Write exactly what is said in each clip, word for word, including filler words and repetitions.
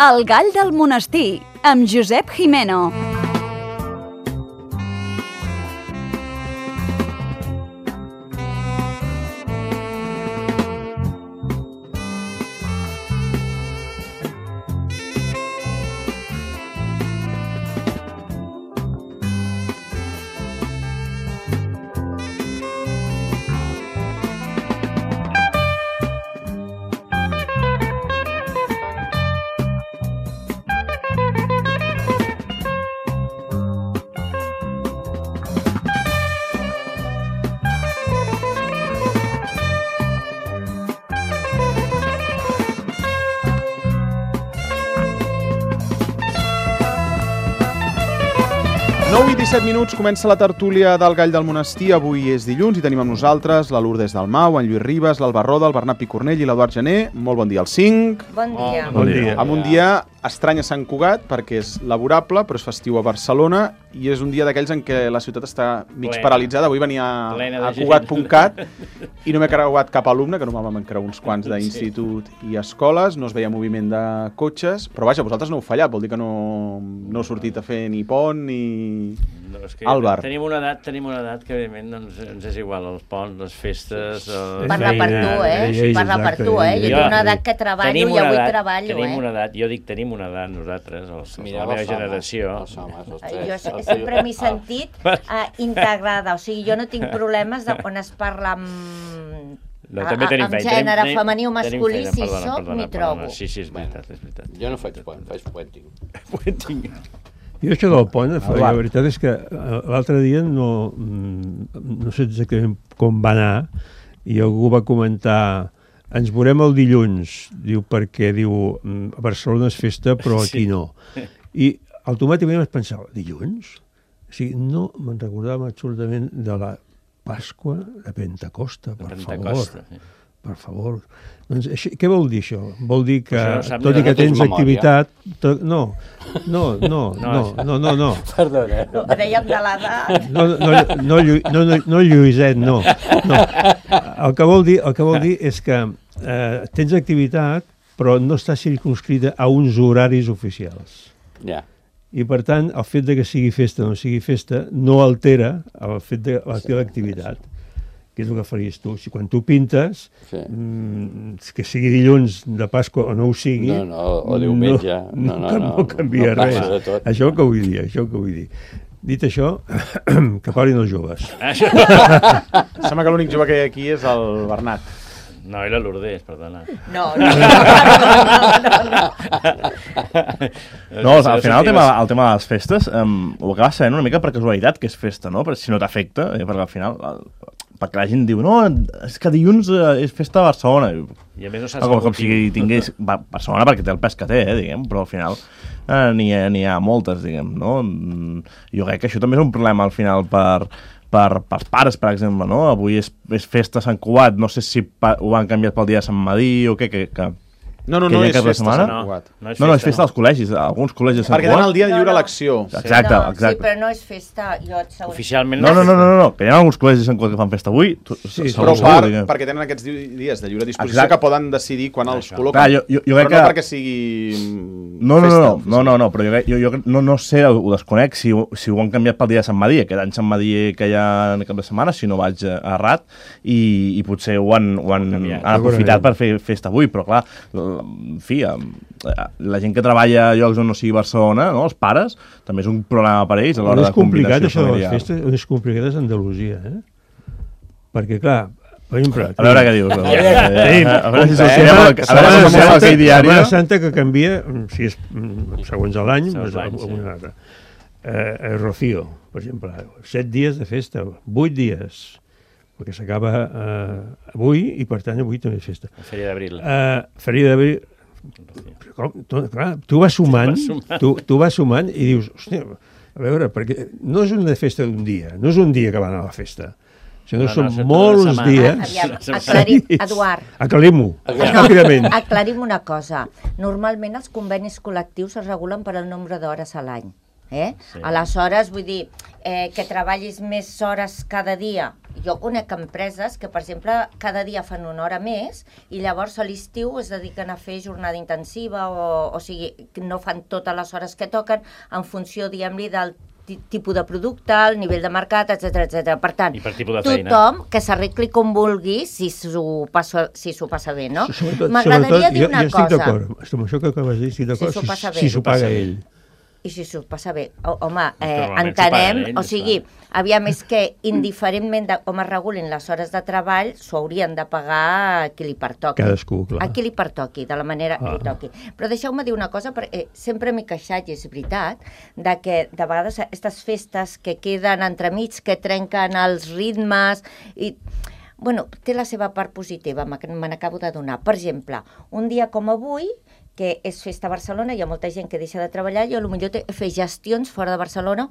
El gall del monestir, amb Josep Jimeno. nou i disset minuts, comença la tertúlia del Gall del Monestir. Avui és dilluns i tenim amb nosaltres la Lourdes Dalmau, en Lluís Ribas, l'Alba Roda, el Bernat Picornell i l'Eduard Gené. Molt bon dia als cinc. Bon dia. Oh, bon dia. Amb un dia estrany a Sant Cugat, perquè és laborable, però és festiu a Barcelona, i és un dia d'aquells en què la ciutat està mig plena, paralitzada. Avui venia a Cugat punt cat i no m'he creuat cap alumne, que normalment m'han creuat uns quants d'institut i escoles, no es veia moviment de cotxes, però vaja, vosaltres no heu fallat, vol dir que no, no heu sortit a fer ni pont ni... No, és que Àlvar. Tenim una edat, tenim una edat que evidentment doncs, ens és igual, els ponts, les festes... El... Parla per tu, eh? Parla per tu, eh? Jo tinc una edat que treballo i avui edat, treballo, tenim eh? una edat, jo dic tenim una edat nosaltres, els, Mira, la meva generació. Jo sempre m'he sentit uh, integrada, o sigui, jo no tinc problemes de quan es parla amb... No, també tenim amb feina, gènere tenim, femení o masculí, feina, si perdona, soc, perdona, m'hi perdona. trobo. Sí, sí, és veritat, és veritat. Jo no faig pont, faig puenting. Puenting. Jo això del pont, la veritat és que l'altre dia no, no sé exactament com va anar i algú va comentar ens veurem el dilluns, diu perquè diu a Barcelona és festa però aquí no. I automàticament vaig pensar, dilluns? O sigui, no me'n recordava absolutament de la Pasqua de Pentecosta, per Pentecosta, favor. Sí. Per favor. Doncs, això, què vol dir això? Vol dir que, no tot i que tens activitat... To, no, no, no, no, no, no, no. Perdona. No, dèiem de l'edat. No, no, no, no, no, no Lluïset, no. no. El que vol dir, el que vol dir és que eh, tens activitat, però no està circunscrita a uns horaris oficials. Ja. I, per tant, el fet de que sigui festa o no sigui festa no altera el fet de la teva activitat, que és el que faries tu. Si quan tu pintes, sí. mmm, que sigui dilluns de Pasqua o no ho sigui... No, no, o diumenge. No, no, no, no, no canvia no res. Això que vull dir, això que vull dir. Dit això, que parlin els joves. Sembla que l'únic jove que hi ha aquí és el Bernat. No, i la Lourdes, perdona. No, no, no, no, no, no. No, al final el tema, el tema de les festes um, ho acabes sabent una mica per casualitat que és festa, no? Però si no t'afecta, eh, perquè al final... El, perquè la gent diu, no, és que dilluns eh, és festa a Barcelona. I a més no saps com, com si tingués Barcelona perquè té el pes que té, eh, diguem, però al final eh, n'hi ha, n'hi ha moltes, diguem, no? Jo crec que això també és un problema al final per... Per, per pares, per exemple, no? Avui és, és festa a Sant Cugat, no sé si pa, ho han canviat pel dia de Sant Madí o què, que... que No, no, no és festa a Sant Cugat. No, no, és no, no, és festa als col·legis, alguns col·legis de Sant Cugat. Perquè tenen el dia de lliure elecció. Exacte, no, exacte. Sí, però no és festa. Jo et segur. Oficialment no. No, no, no, no, no, que hi ha alguns col·legis de Sant Cugat que fan festa avui. Tu, sí, però segur, per, diguem. perquè tenen aquests dies de lliure disposició exacte. que poden decidir quan els col·loquen. Clar, jo, jo, jo però que... no perquè sigui no, no, festa. No, no, no, no, no, però jo, jo, jo no, no sé, ho desconec, si, si ho han canviat pel dia de Sant Madí, aquest any Sant Madí que hi ha en cap de setmana, si no vaig errat, i, i potser ho han, ho han, han aprofitat per fer festa avui, però clar, en fi, la gent que treballa a llocs on no sigui Barcelona, no, els pares, també és un problema per ells a l'hora de complicat això de les festes, és complicat és Andalusia, eh? Perquè, clar, per exemple... A veure què dius. A veure si s'assembla aquell diari. Setmana Santa que canvia, si és segons l'any, alguna altra. Rocío, per exemple, set dies de festa, vuit dies, perquè s'acaba avui i, per tant, avui també és festa. Feria d'Abril. Feria d'Abril... Com, tu, clar, tu vas sumant, tu, tu vas sumant i dius, hòstia, a veure, perquè no és una festa d'un dia, no és un dia que van a la festa, sinó no, són no, molts dies. Aviam, aclarim, Eduard. Aclarim-ho, ràpidament. Aclarim una cosa. Normalment els convenis col·lectius es regulen per el nombre d'hores a l'any. Eh? Sí. Aleshores, vull dir, eh, que treballis més hores cada dia jo conec empreses que, per exemple, cada dia fan una hora més i llavors a l'estiu es dediquen a fer jornada intensiva o, o sigui, no fan totes les hores que toquen en funció, diguem-li, del tipus de producte, el nivell de mercat, etcètera, etcètera. Per tant, per tothom que s'arregli com vulgui si s'ho passa, si s'ho passa bé, no? M'agradaria dir una cosa. Jo estic d'acord, amb això que acabes de dir, estic d'acord, si s'ho paga ell. I si s'ho passa bé. Home, eh, entenem, ell, o sigui, aviam, és que indiferentment de com es regulin les hores de treball, s'ho haurien de pagar a qui li pertoqui. Cadascú, clar. A qui li pertoqui, de la manera que ah. li toqui. Però deixeu-me dir una cosa, perquè sempre m'he queixat, i és veritat, de que de vegades aquestes festes que queden entremig, que trenquen els ritmes, i... Bueno, té la seva part positiva, me n'acabo de donar. Per exemple, un dia com avui, que és festa a Barcelona, hi ha molta gent que deixa de treballar i potser fer gestions fora de Barcelona,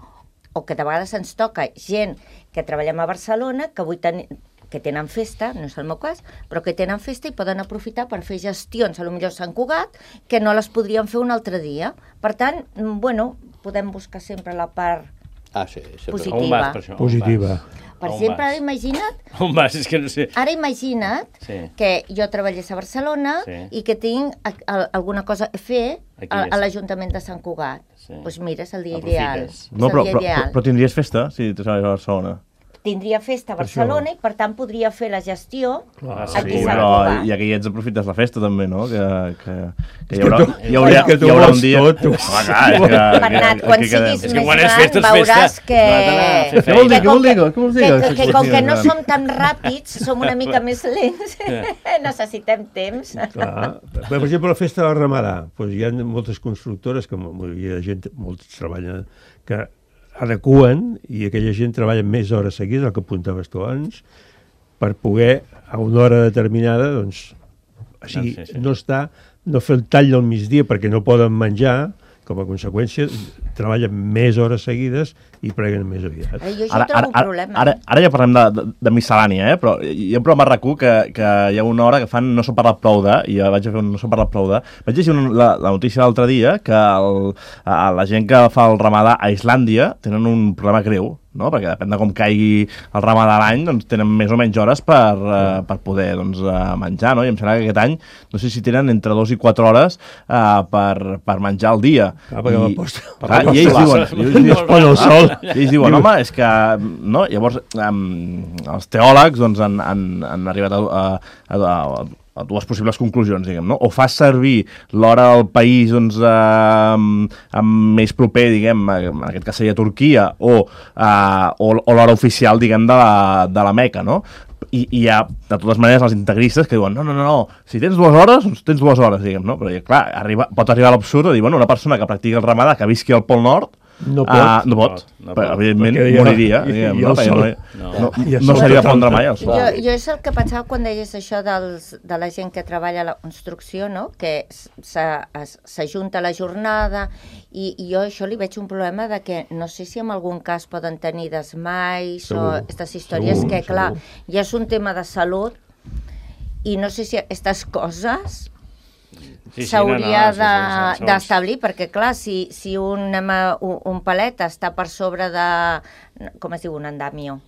o que de vegades ens toca gent que treballem a Barcelona, que avui ten... que tenen festa, no és el meu cas, però que tenen festa i poden aprofitar per fer gestions, potser a Sant Cugat, que no les podrien fer un altre dia. Per tant, bueno, podem buscar sempre la part ah, sí, positiva. On vas, per això? Positiva. Per exemple, ara imagina't... On vas? És que no sé. Ara imagina't sí. que jo treballés a Barcelona sí. i que tinc a, a, alguna cosa a fer a, a l'Ajuntament de Sant Cugat. Doncs sí. pues mira, és el dia ideal. No, però, però, però, però tindries festa si treballes a Barcelona? Tindria festa a Barcelona i, per tant, podria fer la gestió clar, aquí sí, a Sant però Cugat. ja que hi ets aprofites la festa també, no? Que, que, que hi haurà, hi haurà, hi haurà un dia... Tot, ah, clar, que, Bernat, quan siguis és més gran festes, veuràs que... Què vol dir? Què vol dir? Què vol dir? Que, que, com que no som tan ràpids, som una mica més lents, necessitem temps. Clar. Per exemple, la festa del Ramadà, doncs hi ha moltes constructores, que hi ha gent, molts treballen, que adequen, i aquella gent treballa més hores seguides, el que apuntaves tu abans, per poder, a una hora determinada, doncs, o sigui, no, sí, sí. no està, no fer el tall del migdia perquè no poden menjar, com a conseqüència, treballen més hores seguides i preguen més aviat. Ara, jo això trobo un problema. Ara, ara, ara ja parlem de, de, de miscel·lània, eh? Però hi ha un programa a RAC u que, que hi ha una hora que fan No s'ha parlat prou de, i ja vaig a fer un No s'ha parlat prou de. Vaig llegir un, la, la notícia l'altre dia que el, a, la gent que fa el ramadà a Islàndia tenen un problema greu, no? Perquè depèn de com caigui el ramadà a l'any, doncs tenen més o menys hores per, uh, per poder doncs, uh, menjar, no? I em sembla que aquest any, no sé si tenen entre dos i quatre hores uh, per, per menjar al dia. Ah, perquè I, posta, clar, i ells diuen, ells diuen, no, el sol. I ells diuen, home, és que, no? Llavors, um, els teòlegs doncs, han, han, han arribat a, a, a, a a dues possibles conclusions, diguem, no? O fas servir l'hora del país doncs, eh, amb més proper, diguem, en aquest cas seria Turquia, o, eh, o, o l'hora oficial, diguem, de la, de la Meca, no? I, i hi ha, de totes maneres, els integristes que diuen, no, no, no, no, si tens dues hores, doncs tens dues hores, diguem, no? Però, clar, arriba, pot arribar a l'absurd de dir, bueno, una persona que practiqui el ramadà, que visqui al Pol Nord, no pot, uh, no pot. No, no però, evidentment, ja, moriria, diguem, no? No, no, no, no, no seria pondre mai el sol. Jo, jo és el que pensava quan deies això dels, de la gent que treballa a la construcció, no? Que s'ajunta la jornada, i, i jo això li veig un problema de que no sé si en algun cas poden tenir desmais o aquestes històries segur, que, clar, segur. Ja és un tema de salut i no sé si aquestes coses sí, sí, s'hauria no, no, sí, sí, d'establir, perquè clar, si, si un, un, un palet està per sobre de, com es diu, un andamio?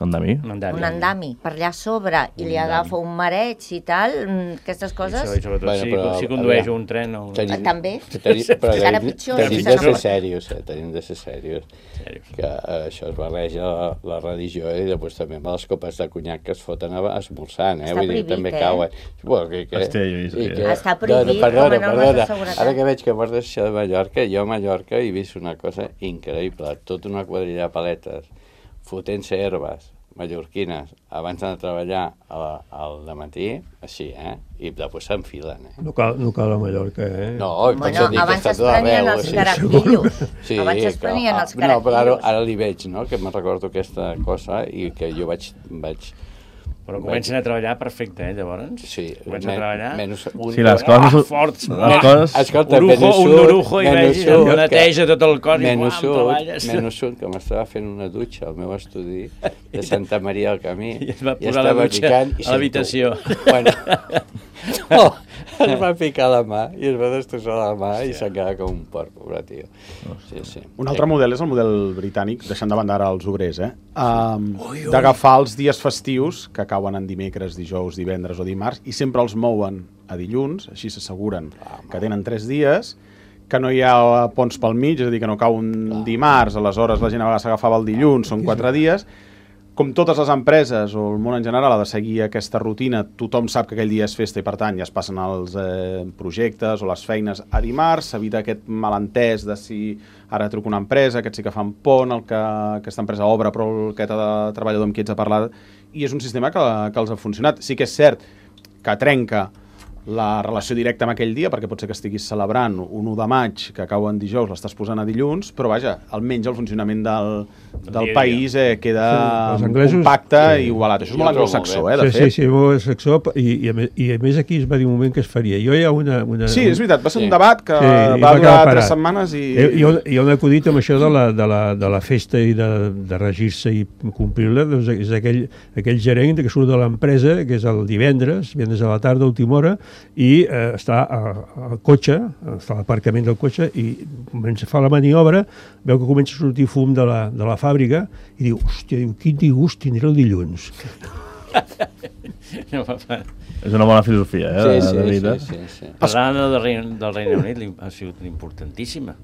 Andami? Un andami. Un andami, per allà a sobre, i li agafa un mareig i tal, aquestes coses... I sobretot bueno, però, si, si condueix un tren o... Tenim, també, tenim, però encara pitjor. Tenim de ser serios, eh? Tenim de ser serios. Que eh, això es barreja la, la religió i després també amb les copes de conyac que es foten esmorzant, eh? Està Vull dir, prohibit, també eh? cauen. Bueno, que, que, Hòstia, jo he que, Està prohibit, no, perdona, com a normes de seguretat. Ara que veig que portes això de Mallorca, jo a Mallorca he vist una cosa increïble, tota una quadrilla de paletes fotent-se herbes mallorquines abans de treballar al, al dematí, així, eh? I després s'enfilen, eh? No cal, no cal a Mallorca, eh? No, bueno, abans es prenien els carapillos. Sí, abans es prenien els carapillos. No, però ara, ara li veig, no?, que me'n recordo aquesta cosa i que jo vaig... vaig Però comencen a treballar perfecte, eh, llavors? Sí. Comencen a treballar... Menys un... Sí, les coses... Ah, forts! Les coses... Escolta, Urujo, un orujo i vegi, neteja tot el cos i menys quan treballes. Menys un, que m'estava fent una dutxa al meu estudi de Santa Maria del Camí. I es va posar la dutxa a l'habitació. Bueno, no, es va ficar la mà i es va destrossar la mà i s'ha quedat com un porc, pobre tio. Sí, sí. Un altre model és el model britànic, deixant de banda ara els obrers, eh? Um, d'agafar els dies festius, que cauen en dimecres, dijous, divendres o dimarts, i sempre els mouen a dilluns, així s'asseguren que tenen tres dies, que no hi ha ponts pel mig, és a dir, que no cau un dimarts, aleshores la gent a vegades s'agafava el dilluns, són quatre dies. Com totes les empreses o el món en general ha de seguir aquesta rutina, tothom sap que aquell dia és festa i per tant ja es passen els eh, projectes o les feines a dimarts, s'evita aquest malentès de si ara truco una empresa, aquest sí que fan pont, el que aquesta empresa obre però aquest treballador amb qui ets a parlar, i és un sistema que, que els ha funcionat. Sí que és cert que trenca la relació directa amb aquell dia, perquè pot ser que estiguis celebrant un u de maig, que cau en dijous, l'estàs posant a dilluns, però vaja, almenys el funcionament del, del país eh, queda sí, anglesos, compacte sí. i igualat. Això és molt anglosaxó, eh, de sí, fet. Sí, sí, sí, molt anglosaxó, i, i, a més, i a més aquí es va dir un moment que es faria. Jo hi ha una... una sí, és veritat, va ser sí. un debat que sí, va, va durar tres setmanes i... Hi ha, hi ha un acudit amb això de la, de la, de la festa i de, de regir-se i complir-la, doncs és aquell, aquell gerent que surt de l'empresa, que és el divendres, divendres a la tarda, a última hora, i eh, està al cotxe, està a l'aparcament del cotxe i comença a fer la maniobra, veu que comença a sortir fum de la, de la fàbrica i diu, hòstia, diu, quin disgust tindré el dilluns. És una bona filosofia, eh? Sí, sí, de sí, sí, sí. Parlant del Regne, del Regne Unit, ha sigut importantíssima,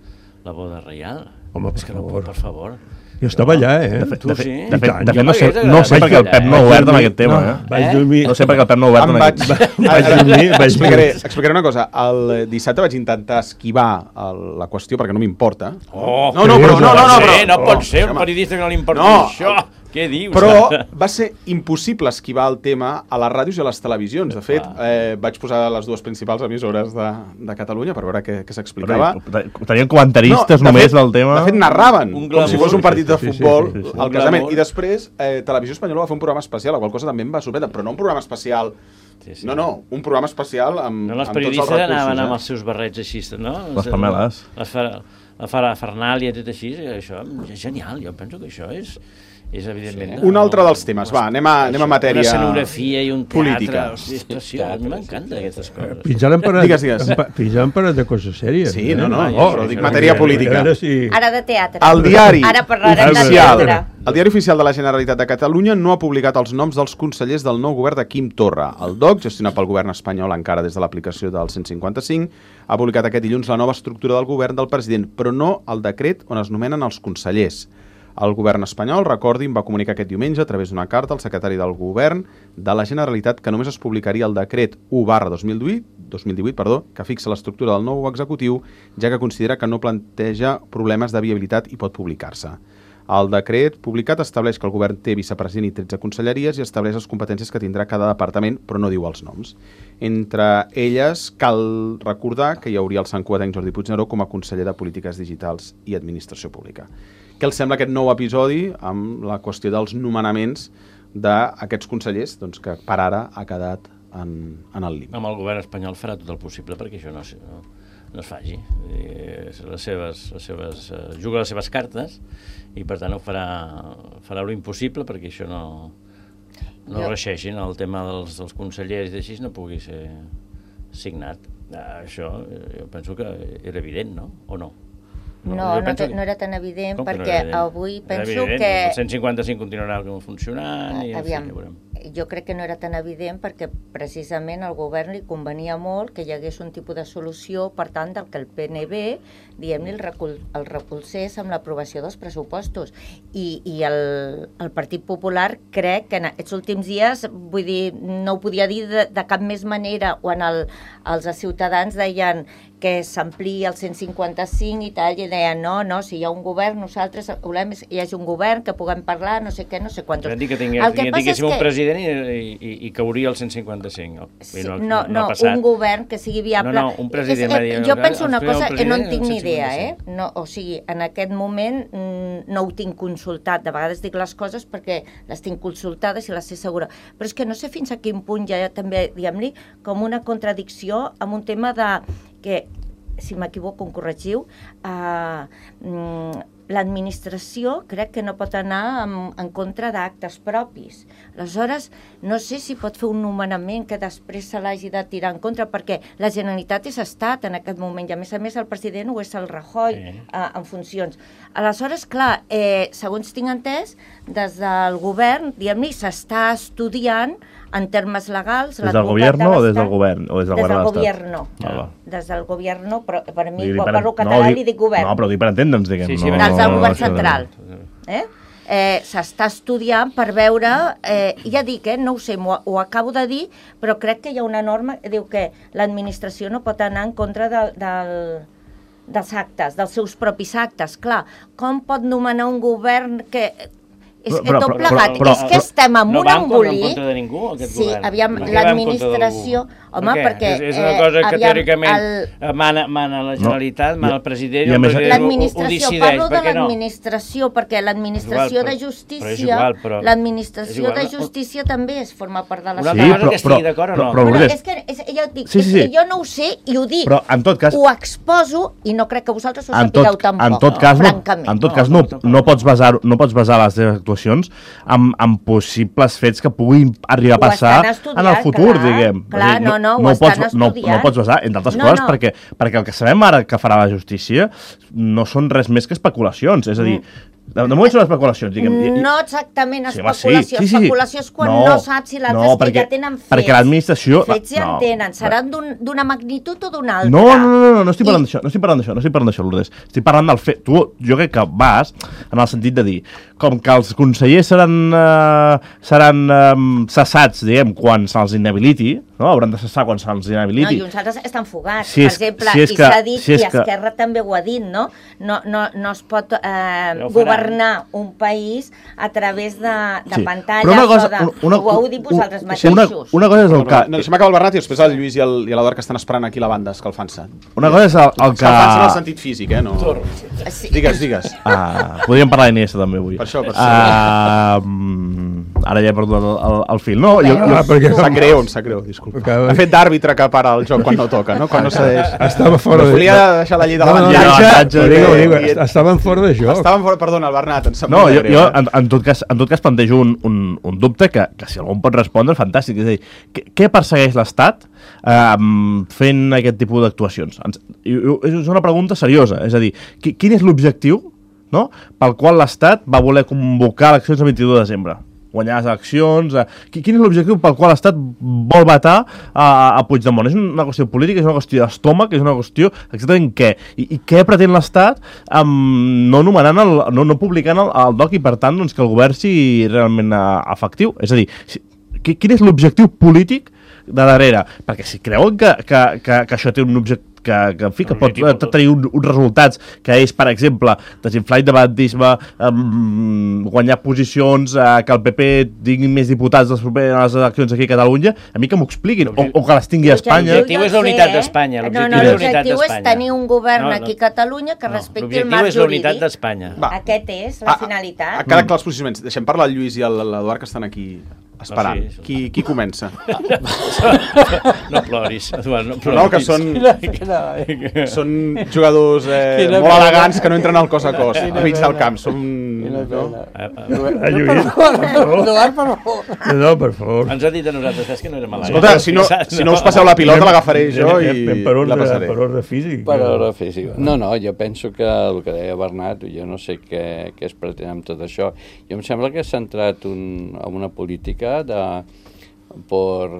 la boda reial. Home, per és que no, favor. per favor. Jo estava allà, eh? De fet, tu sí? de fet, de fet Jo no sé, no sé perquè el Pep no ha obert amb aquest tema, eh? Vaig dormir... No sé perquè el Pep no ha obert amb vaig, aquest tema. Vaig dormir... Vaig explicaré, explicaré una cosa. El dissabte vaig intentar esquivar el, la qüestió perquè no m'importa. Oh, no, no, però, no, no, no, però, no pot ser oh, un periodista que no li importi no, això. Què dius? Però va ser impossible esquivar el tema a les ràdios i a les televisions. De fet, eh, vaig posar les dues principals emissores de, de Catalunya per veure què, què s'explicava. Tenien comentaristes no, de només fet, del tema. De fet, narraven un glamour, com si fos un partit de futbol, sí, sí, sí, sí. el casament. I després, eh, Televisió Espanyola va fer un programa especial, la qual cosa també em va sorprendre, però no un programa especial... Sí, sí. No, no, un programa especial amb, no, amb tots els recursos. Els periodistes anaven eh? amb els seus barrets així, no? Les pameles. Les fer, la Fernàlia i tot així, això és genial, jo penso que això és... és evidentment... Sí. Un altre dels temes, va, anem a, anem a matèria política. Una escenografia i un teatre, és preciós, a mi m'encanta aquestes coses. Fins ara han parlat, digues, digues. Fins ara han parlat de coses sèries. Sí, no, no, oh, però dic matèria política. Si... Ara de teatre. El diari Ara parlarem de oficial, teatre. el diari oficial de la Generalitat de Catalunya no ha publicat els noms dels consellers del nou govern de Quim Torra. El D O C, gestionat pel govern espanyol encara des de l'aplicació del cent cinquanta-cinc, ha publicat aquest dilluns la nova estructura del govern del president, però no el decret on es nomenen els consellers. El govern espanyol, recordin, va comunicar aquest diumenge a través d'una carta al secretari del govern de la Generalitat que només es publicaria el decret u barra dos mil divuit, perdó, que fixa l'estructura del nou executiu, ja que considera que no planteja problemes de viabilitat i pot publicar-se. El decret publicat estableix que el govern té vicepresident i tretze conselleries i estableix les competències que tindrà cada departament, però no diu els noms. Entre elles, cal recordar que hi hauria el sant cuatenc Jordi Puigneró com a conseller de Polítiques Digitals i Administració Pública. Què els sembla aquest nou episodi amb la qüestió dels nomenaments d'aquests consellers, doncs, que per ara ha quedat en, en el límit? Amb el govern espanyol farà tot el possible perquè això no, no, no es faci. Les seves, les seves, uh, juga les seves cartes i per tant ho farà, farà lo impossible perquè això no, no reixeixin, el tema dels, dels consellers i així no pugui ser signat. Uh, això jo penso que era evident, no? O no? No, no, no, te, no era tan evident perquè no evident? Avui penso que... El cent cinquanta-cinc continuarà funcionant i aviam, en fi, ja veurem. Jo crec que no era tan evident perquè precisament al govern li convenia molt que hi hagués un tipus de solució, per tant, del que el P N B, diguem-ne, el, recol, el recolzés amb l'aprovació dels pressupostos. I, i el, el Partit Popular crec que en aquests últims dies, vull dir, no ho podia dir de, de cap més manera, quan el, els ciutadans deien que s'ampliï el cent cinquanta-cinc i tal, i deien, no, no, si hi ha un govern, nosaltres volem que hi hagi un govern, que puguem parlar, no sé què, no sé quantos. Vam dir que tinguéssim un president i, i, i cauria el cent cinquanta-cinc. Sí, no, no, no, no un govern que sigui viable. No, no, un president. És, eh, jo penso una cosa, que no en tinc ni idea, eh? No, o sigui, en aquest moment mm, no ho tinc consultat. De vegades dic les coses perquè les tinc consultades i les sé segura. Però és que no sé fins a quin punt ja també, diguem-li, com una contradicció amb un tema de que, si m'equivoco, em corregiu, eh, l'administració crec que no pot anar en, en contra d'actes propis. Aleshores, no sé si pot fer un nomenament que després se l'hagi de tirar en contra, perquè la Generalitat és estat en aquest moment, i a més a més el president ho és el Rajoy sí. eh, en funcions. Aleshores, clar, eh, segons tinc entès, des del govern, diguem-ne, s'està estudiant en termes legals... Des del govern o des del govern? O des del, des del govern, ah, des del govern, però per a mi, dir, quan per, parlo català, no, li dic govern. No, però dic per entendre'ns, diguem. Sí, sí, no, des del govern no, central. Eh? Eh, s'està estudiant per veure, eh, ja dic, eh, no ho sé, ho, ho acabo de dir, però crec que hi ha una norma que diu que l'administració no pot anar en contra de, del, dels actes, dels seus propis actes. Clar, com pot nomenar un govern que... És que tot plegat, és que estem en un embolic... No va en contra de ningú, aquest sí, govern. aviam, l'administració... Home, per perquè... És, és una cosa que aviam, teòricament el... mana, mana la Generalitat, no, mana el president, i el president l'administració, ho decideix. parlo de no? l'administració, perquè l'administració de justícia... L'administració de justícia també es forma part de la Una sí, cosa però, que estigui d'acord o no? Però, però, és que, és, ja ho dic, sí, sí, sí. és que jo no ho sé i ho dic. Però, en tot cas... Ho exposo i no crec que vosaltres ho en sapigueu tot, tampoc, en tot cas, no, francament. En tot cas, no, no, pots basar, no pots basar les teves actuacions en, en possibles fets que puguin arribar a passar estudiat, en el futur, clar, diguem. Clar, dir, no, no, ho no estan pots, estudiant. No, no pots basar, entre altres no, coses, no. Perquè, perquè el que sabem ara que farà la justícia no són res més que especulacions. És a dir, de, de moment són especulacions, diguem. I, no exactament sí, especulació. Sí, sí, sí. Especulació és quan no, no saps si l'altre no, és que ja tenen fets. Perquè l'administració... Fets ja no, en tenen. Seran d'una un, magnitud o d'una altra. No, no, no, no, no estic parlant d'això, no estic parlant d'això, no estic parlant d'això, Lourdes. Estic parlant del fet... Tu, jo crec que vas en el sentit de dir, com que els consellers seran, uh, seran um, cessats, diguem, quan se'ls inhabiliti, no? Hauran de cessar quan se'ls inhabiliti. No, i uns altres estan fugats, si és, per exemple, si i que, s'ha dit, si i que... Esquerra també ho ha dit, no? No, no, no es pot eh, no governar un país a través de, de sí. pantalles cosa, o de... Una, ho heu dit vosaltres mateixos. Una, una cosa és el que... No, deixa'm acabar el Bernat i després el Lluís i l'Eduard que estan esperant aquí la banda, escalfant-se. Una cosa és el, el que... Escalfant-se en el sentit físic, eh? No... Sí. Digues, digues. Uh, podríem parlar d'Iniesta també avui. Per això, per això. Uh, ara ja he perdut el, el, el fil. No, jo, jo, ah, perquè... Sap greu, sap greu, disculpa. Ha fet d'àrbitre que para el joc quan no toca, no? Quan no cedeix. Estava fora de... Volia deixar la llei de l'avantatge. Estaven fora de joc. Estaven fora, perdona, el Bernat, em sap no, molt jo, greu. Jo, en, en, tot cas, en tot cas plantejo un, un, un dubte que, que si algú pot respondre, fantàstic. És a dir, què, què persegueix l'Estat eh, fent aquest tipus d'actuacions? És una pregunta seriosa. És a dir, quin és l'objectiu, no?, pel qual l'Estat va voler convocar eleccions el vint-i-dos de desembre? Guanyar les eleccions... Eh, quin és l'objectiu pel qual l'Estat vol vetar a, a Puigdemont? És una qüestió política, és una qüestió d'estómac, és una qüestió exactament què? I, i què pretén l'Estat um, no nomenant, el, no, no publicant el, el doc i, per tant, doncs, que el govern sigui realment uh, efectiu? És a dir, si, quin és l'objectiu polític de darrere? Perquè si creuen que, que, que, que això té un objectiu que, que, en fi, que pot tenir un, uns resultats que és, per exemple, desinflar independentisme, um, guanyar posicions, uh, que el P P tingui més diputats les properes eleccions aquí a Catalunya, a mi que m'ho expliquin, o, o que les tingui a Espanya. L'objectiu és la unitat d'Espanya. No, no, l'objectiu és tenir un govern no, no, aquí a Catalunya que no, respecti el marc jurídic. L'objectiu és la unitat d'Espanya. Aquest és la finalitat. Ha quedat clar els posicionaments. Deixem parlar el Lluís i l'Eduard que estan aquí esperant. No, sí, qui, qui comença? No ploris, Eduard, no ploris. No, que són, són jugadors eh, molt elegants que no entren al cos a cos, a mig del camp. Som... No? Eduard, per favor. No, per favor. Ens ha dit a nosaltres, és que no érem elegants. Escolta, si no, si no us passeu la pilota, l'agafaré jo i la passaré. Per ordre físic. Per ordre físic. No, no, jo penso que el que deia Bernat, jo no sé què, què es pretén amb tot això. Jo em sembla que s'ha entrat un, en una política de, por,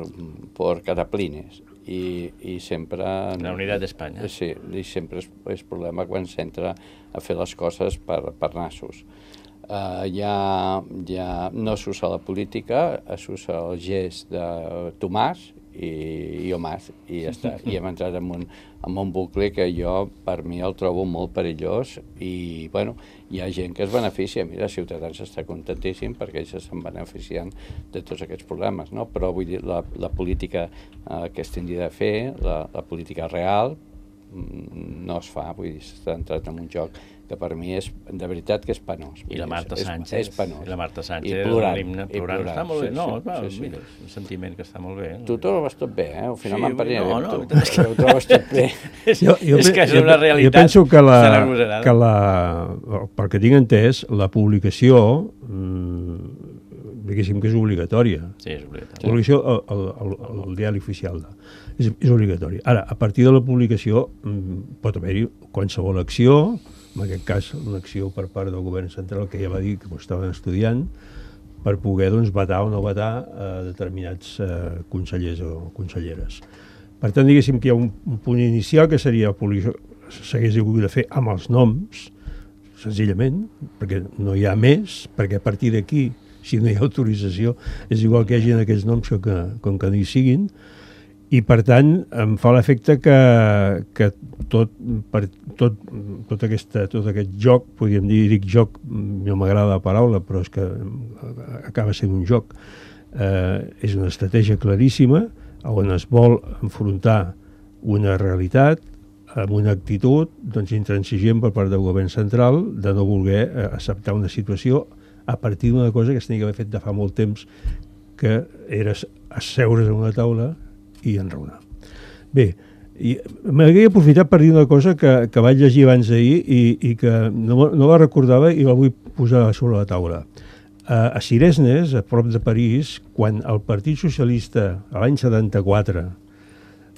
por cataplines i, i sempre... La unitat d'Espanya. Sí, i sempre és, és problema quan s'entra a fer les coses per, per nassos. Uh, ja, ja no s'usa la política, s'usa el gest de Tomàs i, i Omàs, i ja està. I hem entrat en un, en un bucle que jo, per mi, el trobo molt perillós i, bueno, hi ha gent que es beneficia. Mira, Ciutadans està contentíssim perquè ells s'estan beneficiant de tots aquests problemes, no? Però vull dir, la, la política eh, que es tindria de fer, la, la política real, no es fa, vull dir, s'està entrat en un joc que per mi és, de veritat que és penós. I la Marta Sánchez. És, és penós. I la Marta Sánchez. I plorant. L'himne, I plorant. plorant. Està molt bé. Sí, No, sí, va, sí, sí. mira, és un sentiment que està molt bé. Tu t'ho trobes tot bé, eh? Al final Sí, m'emparnia no, bé no, amb tu. Ho trobes tot bé. Jo, jo, és que és una realitat. Jo penso que la, de l'agosarada. que la, pel que tinc entès, la publicació, mmm, diguéssim que és obligatòria. Sí, és obligatori. La publicació al, al, al, al diari oficial de, és, és obligatori. Ara, a partir de la publicació mmm, pot haver-hi qualsevol acció, en aquest cas una acció per part del govern central que ja va dir que ho estaven estudiant, per poder doncs, vetar o no vetar a determinats eh, consellers o conselleres. Per tant, diguéssim que hi ha un, un punt inicial que seria s'hagués hagut de fer amb els noms, senzillament, perquè no hi ha més, perquè a partir d'aquí, si no hi ha autorització, és igual que hi hagi aquests noms que, que, com que no hi siguin, i per tant em fa l'efecte que, que tot, per, tot, tot, aquesta, tot aquest joc, podríem dir, dic joc, no m'agrada la paraula, però és que acaba sent un joc, eh, és una estratègia claríssima on es vol enfrontar una realitat amb una actitud doncs, intransigent per part del govern central de no voler eh, acceptar una situació a partir d'una cosa que es tenia que haver fet de fa molt temps, que era asseure's en una taula i enraonar. Bé, m'hauria aprofitat per dir una cosa que, que vaig llegir abans d'ahir i, i que no, no la recordava i la vull posar sobre la taula. A, a Ciresnes, a prop de París, quan el Partit Socialista, a l'any setanta-quatre,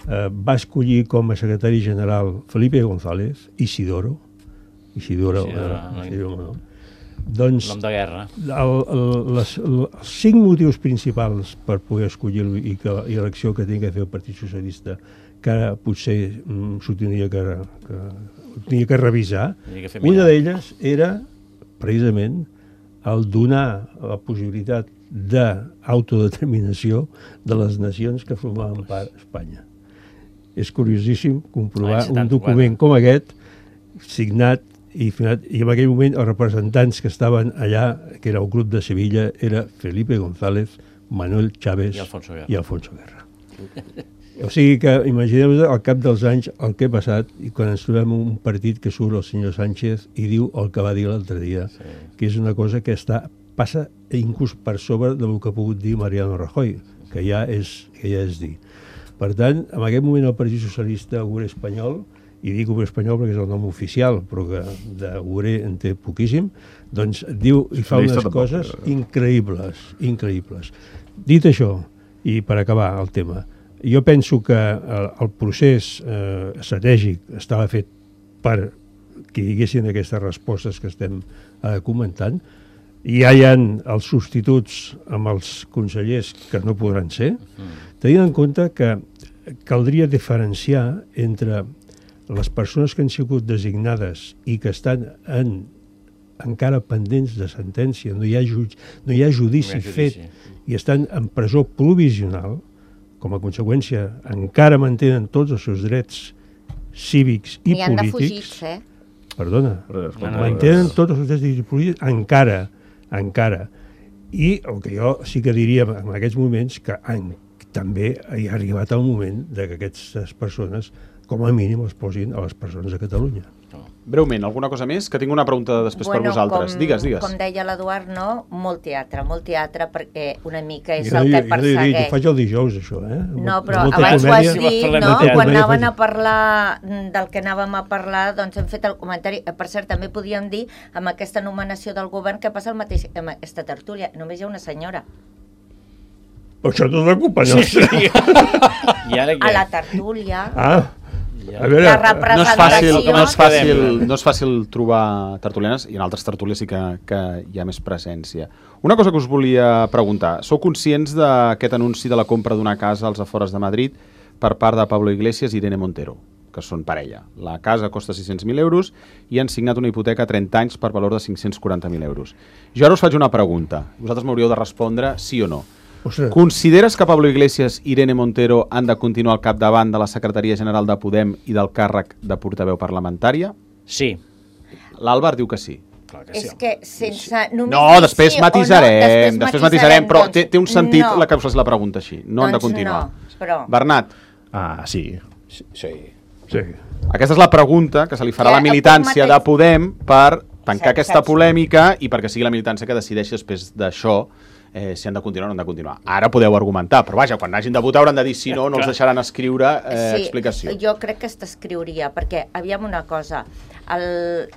eh, va escollir com a secretari general Felipe González, Isidoro, Isidoro, Isidoro, eh, Isidoro no. Doncs nom de guerra. El, el, les, els cinc motius principals per poder escollir-lo i, que, i l'acció que tenia que fer el Partit Socialista, que ara potser mm, s'ho tenia que, que, tenia que revisar, que una d'elles era precisament el donar la possibilitat d'autodeterminació de les nacions que formaven part d'Espanya. És curiosíssim comprovar un document com aquest, signat I, i en aquell moment els representants que estaven allà, que era el grup de Sevilla, era Felipe González, Manuel Chávez i Alfonso Guerra. I Alfonso Guerra. O sigui que imagineu-vos al cap dels anys el que ha passat i quan ens trobem un partit que surt el senyor Sánchez i diu el que va dir l'altre dia, sí. Que és una cosa que està, passa inclús per sobre del que ha pogut dir Mariano Rajoy, que ja és, que ja és dir. Per tant, en aquest moment el Partit Socialista Obrer Espanyol, i dic Obrer Espanyol perquè és el nom oficial, però que d'Obrer en té poquíssim, doncs diu i fa unes coses increïbles, increïbles. Dit això, i per acabar el tema, jo penso que el, el procés eh, estratègic estava fet per que hi haguessin aquestes respostes que estem eh, comentant, i ja hi ha els substituts amb els consellers que no podran ser, tenint en compte que caldria diferenciar entre les persones que han sigut designades i que estan en, encara pendents de sentència, no hi ha, ju no hi ha judici, no hi ha judici fet i estan en presó provisional, com a conseqüència encara mantenen tots els seus drets cívics i N'hi han polítics. de fugits, eh? Perdona, no, no, mantenen no. tots els drets cívics i polítics encara, encara. I el que jo sí que diria en aquests moments que en, també hi ha arribat el moment de que aquestes persones com a mínim els posin a les persones de Catalunya. Breument, alguna cosa més? Que tinc una pregunta després bueno, per vosaltres. Com, digues, digues. Com deia l'Eduard, no? Molt teatre, molt teatre, perquè una mica és jo el no, que persegueix. Jo ho faig el dijous, això, eh? No, però Molta abans ho has comèdia. dit, no? Quan anaven a parlar del que anàvem a parlar, doncs hem fet el comentari. Per cert, també podíem dir, amb aquesta nomenació del govern, que passa el mateix amb aquesta tertúlia. Només hi ha una senyora. Però això no és la culpa nostra. Sí. I ara què? A la tertúlia... Ah, a veure, la representació... No és fàcil, no és fàcil, no és fàcil trobar tertulianes, i en altres tertúlies sí que, que hi ha més presència. Una cosa que us volia preguntar. Sou conscients d'aquest anunci de la compra d'una casa als afores de Madrid per part de Pablo Iglesias i Irene Montero, que són parella? La casa costa sis-cents mil euros i han signat una hipoteca a trenta anys per valor de cinc-cents quaranta mil euros. Jo ara us faig una pregunta. Vosaltres m'hauríeu de respondre sí o no. Ostres. Consideres que Pablo Iglesias i Irene Montero han de continuar al capdavant de la Secretaria General de Podem i del càrrec de portaveu parlamentària? Sí. L'Àlvar diu que sí. Clar que És sí. que sense... Només No, després sí matisarem, no, després, després matisarem, però doncs, té, té un sentit no. la que us la pregunta així. No doncs han de continuar. No, però... Bernat? Ah, sí. Sí. sí. Sí. Aquesta és la pregunta que se li farà a la militància de Podem per tancar aquesta polèmica i perquè sigui la militància que decideixi després d'això eh, si han de continuar o no han de continuar. Ara podeu argumentar, però vaja, quan hagin de votar hauran de dir si no, no els deixaran escriure eh, sí, explicació. Jo crec que s'escriuria, perquè, aviam una cosa, el,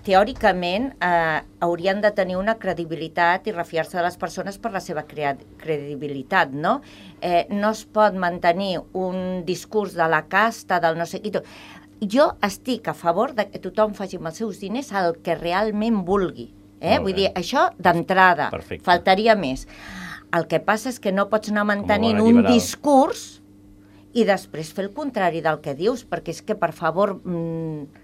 teòricament eh, haurien de tenir una credibilitat i refiar-se de les persones per la seva credibilitat, no? Eh, no es pot mantenir un discurs de la casta, del no sé qui... Jo estic a favor de que tothom faci amb els seus diners el que realment vulgui. Eh? Vull dir, això d'entrada, faltaria més. El que passa és que no pots anar mantenint un discurs i després fer el contrari del que dius, perquè és que, per favor... Mmm...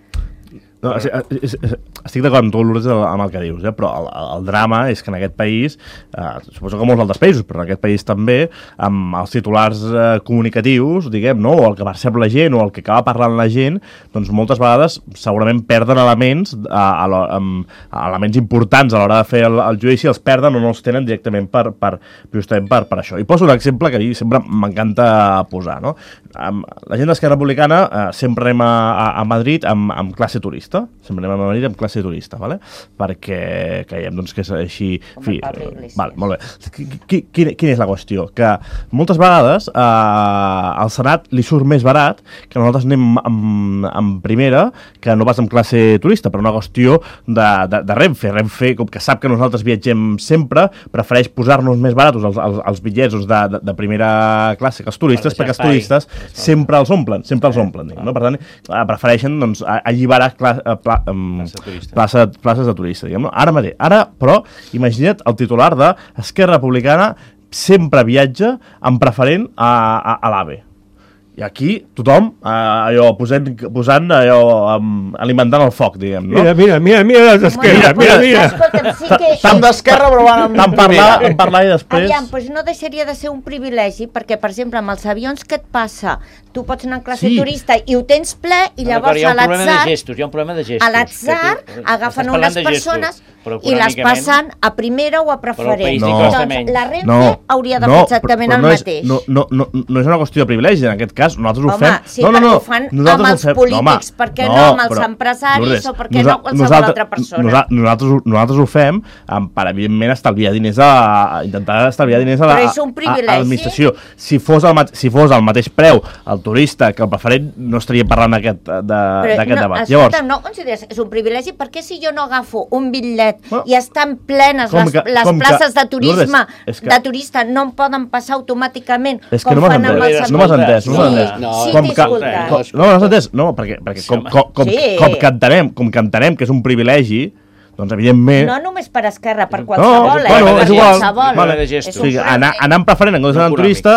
No, estic d'acord amb tu, Lourdes, amb el que dius, eh? Però el, el drama és que en aquest país, eh, suposo que molts altres països, però en aquest país també, amb els titulars eh, comunicatius, diguem, no? O el que percep la gent, o el que acaba parlant la gent, doncs moltes vegades segurament perden elements, a, a, a, a elements importants a l'hora de fer el, el judici, els perden o no els tenen directament per, per, justament per, per això. I poso un exemple que a mi sempre m'encanta posar, no? La gent d'Esquerra Republicana eh, sempre anem a, a, a Madrid amb, amb classe turista, sempre anem a Madrid amb classe turista, vale? Perquè creiem doncs, que és així... Fi, vale, molt bé. Quina, quina és la qüestió? Que moltes vegades eh, al Senat li surt més barat que nosaltres anem amb, amb primera que no pas amb classe turista, per una qüestió de, de, de Renfe. Renfe, com que sap que nosaltres viatgem sempre, prefereix posar-nos més baratos els, els, els bitllets de, de, de primera classe que els turistes, per perquè els turistes sempre els omplen, sempre els omplen. Diguem, no? Per tant, prefereixen doncs, alliberar cla pla um, plaça, places de turista. Diguem, no? Ara mateix, ara, però, imagina't el titular de Esquerra Republicana sempre viatja amb preferent a, a, a l'AVE. I aquí tothom eh, allò, posant, posant allò, um, alimentant el foc, diguem, no? Mira, mira, mira, mira les d'Esquerra, mira, mira. mira. Sí que... Tant d'Esquerra, però van amb... Tant parlar, en parlar i després... Aviam, doncs no deixaria de ser un privilegi, perquè, per exemple, amb els avions, què et passa? Tu pots anar en classe sí. turista i ho tens ple, i llavors a l'atzar... Hi ha un problema de gestos. A l'atzar agafen unes persones i les passen a primera o a preferent. No, doncs la Renfe no, hauria de fer no, exactament però, però el no és, mateix. No, no, no, no és una qüestió de privilegi, en aquest cas nosaltres ho home, fem... Sí, no, no, no, ho fan amb els polítics, no, per què no, no amb els empresaris Lourdes, o per què no qualsevol altra persona? Nosa, nosaltres, nosaltres ho fem per, evidentment, estalviar diners a, a intentar estalviar diners a l'administració. Si, fos el, si fos el mateix preu el turista que el preferent, no estaria parlant d'aquest de, no, debat. Escolta, Llavors, no consideres és un privilegi, perquè si jo no agafo un bitllet no, i estan plenes les, que, les places que, de turisme Lourdes, que, de turista, no em poden passar automàticament com no fan amb els no m'has entès, no m'has entès. No, sí, com que, com, no, no, no, no, perquè, perquè com, com, com, sí. com, que entenem, com que entenem que és un privilegi, doncs evidentment... No només per Esquerra, per qualsevol, no, bueno, eh? És igual. Qualsevol. Vale. O sigui, anar, anar en preferent en comptes d'anar en turista,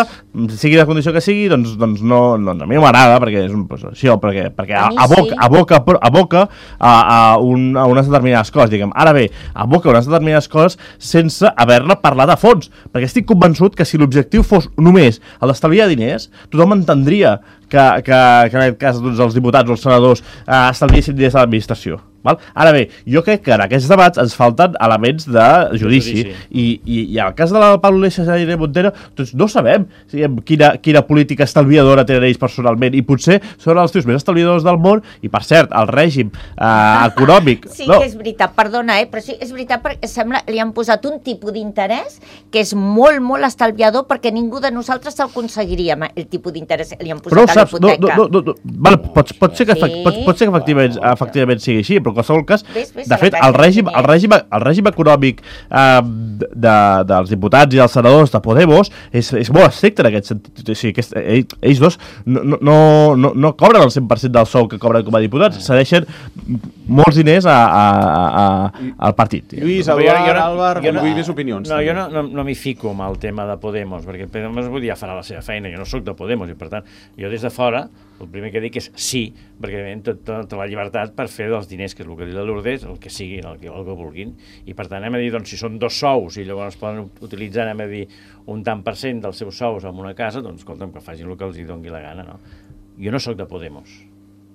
sigui la condició que sigui, doncs, doncs no, doncs a mi no m'agrada, perquè és un, pues, sí, perquè, perquè aboca, aboca, aboca a, a, un, a unes determinades coses, diguem. Ara bé, aboca unes determinades coses sense haver-ne parlat a fons, perquè estic convençut que si l'objectiu fos només el d'estalviar diners, tothom entendria que, que, que en aquest cas doncs, els diputats o els senadors eh, estalviessin diners a l'administració. Val? Ara bé, jo crec que en aquests debats ens falten elements de judici, judici. I, i, i en el cas de la Pablo Iglesias i de Montero doncs no sabem si, quina, quina política estalviadora tenen ells personalment, i potser són els tios més estalviadors del món, i per cert, el règim eh, econòmic... Sí no. que és veritat, perdona, eh, però sí, és veritat perquè sembla li han posat un tipus d'interès que és molt, molt estalviador, perquè ningú de nosaltres se'l aconseguiria, el tipus d'interès li han posat però, a l'hipoteca. No, no, no, no, vale, pot, pot ser que, sí. pot, pot ser que efectivament, efectivament sigui així, però en qualsevol cas, ves, ves, de fet, el règim, el règim, el règim econòmic eh, de, dels diputats i dels senadors de Podemos és, és molt estricte en aquest sentit. O sigui, aquest, ells, ells dos no, no, no, no cobren el cent per cent del sou que cobren com a diputats, cedeixen molts diners a, a, a, a, al partit. Lluís, Eduard, Álvaro, vull més opinions. No, jo no, no, no m'hi fico amb el tema de Podemos, perquè Podemos vull dir, ja farà la seva feina, jo no sóc de Podemos, i per tant, jo des de fora, el primer que dic és sí, perquè tot, tota la llibertat per fer dels diners, que és el que diu la Lourdes, el que siguin, el que, el que vulguin, i per tant anem a dir, doncs, si són dos sous i llavors poden utilitzar, anem a dir, un tant per cent dels seus sous en una casa, doncs, escolta'm, que facin el que els hi doni la gana, no? Jo no sóc de Podemos,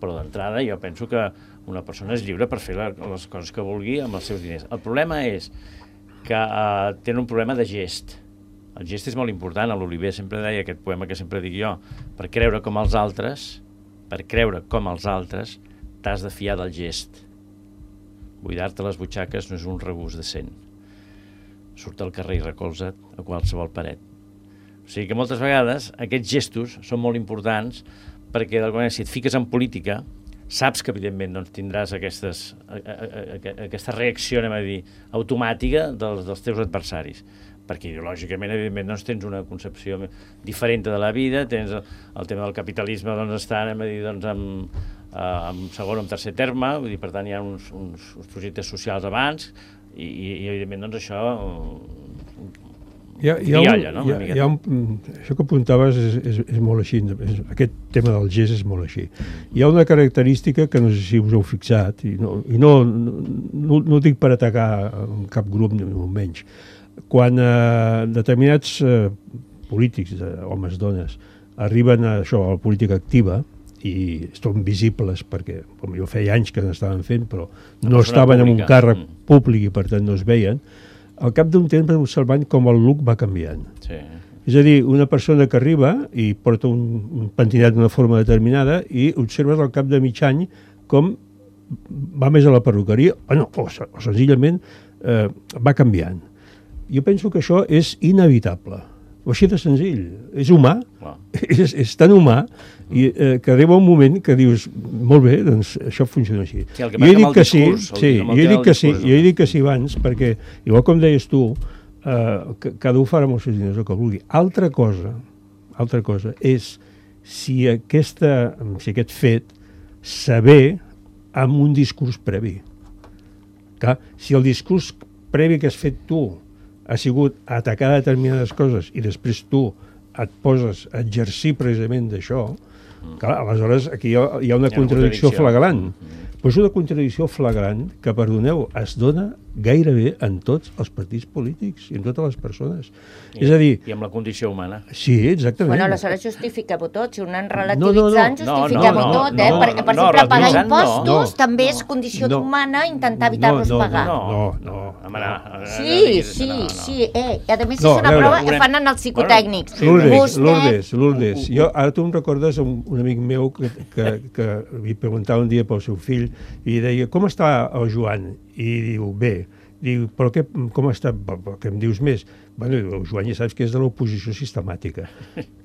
però d'entrada jo penso que una persona és lliure per fer la, les coses que vulgui amb els seus diners. El problema és que eh, tenen un problema de gest. El gest és molt important, a l'Oliver sempre deia aquest poema que sempre dic jo, per creure com els altres per creure com els altres, t'has de fiar del gest. Buidar-te les butxaques no és un regust decent. Surt al carrer i recolza't a qualsevol paret. O sigui que moltes vegades aquests gestos són molt importants perquè d'alguna manera si et fiques en política saps que evidentment doncs, tindràs aquestes, a, a, a, aquesta reacció, anem a dir, automàtica dels, dels teus adversaris, perquè ideològicament evidentment doncs, tens una concepció diferent de la vida, tens el, el tema del capitalisme doncs, està anem a dir, doncs, amb, en segon o en tercer terme, vull dir, per tant hi ha uns, uns, uns projectes socials abans i, i, i evidentment doncs, això Hi ha, hi ha un, no? hi ha, hi ha un, això que apuntaves és, és, és molt així, és, aquest tema del gest és molt així. Hi ha una característica que no sé si us heu fixat, i no, i no, no, no, no ho dic per atacar cap grup ni molt menys. Quan eh, determinats eh, polítics, eh, homes, dones, arriben a això, a la política activa, i són visibles perquè jo feia anys que n'estaven fent, però no estaven en un càrrec públic i per tant no es veien, al cap d'un temps observant com el look va canviant. Sí. És a dir, una persona que arriba i porta un, un pentinat d'una forma determinada i observes al cap de mig any com va més a la perruqueria o, no, o, o senzillament eh, va canviant. Jo penso que això és inevitable. O així de senzill. És humà, wow. és, és tan humà i, eh, que arriba un moment que dius, molt bé, doncs això funciona així. Sí, jo he dit que sí, sí, jo he dit que sí, jo he dit que sí abans, perquè, igual com deies tu, eh, cada un farà amb els seus diners el que vulgui. Altra cosa, altra cosa és si, aquesta, si aquest fet s'avé amb un discurs previ. Clar, si el discurs previ que has fet tu ha sigut atacar determinades coses i després tu et poses a exercir precisament d'això, clar, aleshores aquí hi ha, hi ha una, hi ha contradicció, contradicció flagrant. Mm-hmm. Però és una contradicció flagrant que, perdoneu, es dona gairebé en tots els partits polítics i en totes les persones. I, és a dir... I amb la condició humana. Sí, exactament. Bueno, aleshores justifiqueu-ho tot. Si ho anem relativitzant, no, no, no. justifiquem-ho no, no, tot, no, eh? no, Perquè, per no, exemple, no, pagar no, impostos no, també no, és condició no, humana intentar evitar-los no, no, pagar. No, no, no. no, no. Sí, sí, no, no. sí. Eh, I a més no, és una veure, prova que fan en els psicotècnics. Bueno, Lourdes, Vostè... Lourdes, Lourdes. Jo, ara tu em recordes un, un amic meu que, que, que li preguntava un dia pel seu fill i deia, com està el Joan? I diu, bé. Diu, però què, com està? Què em dius més? Bueno, el Joan ja saps que és de l'oposició sistemàtica.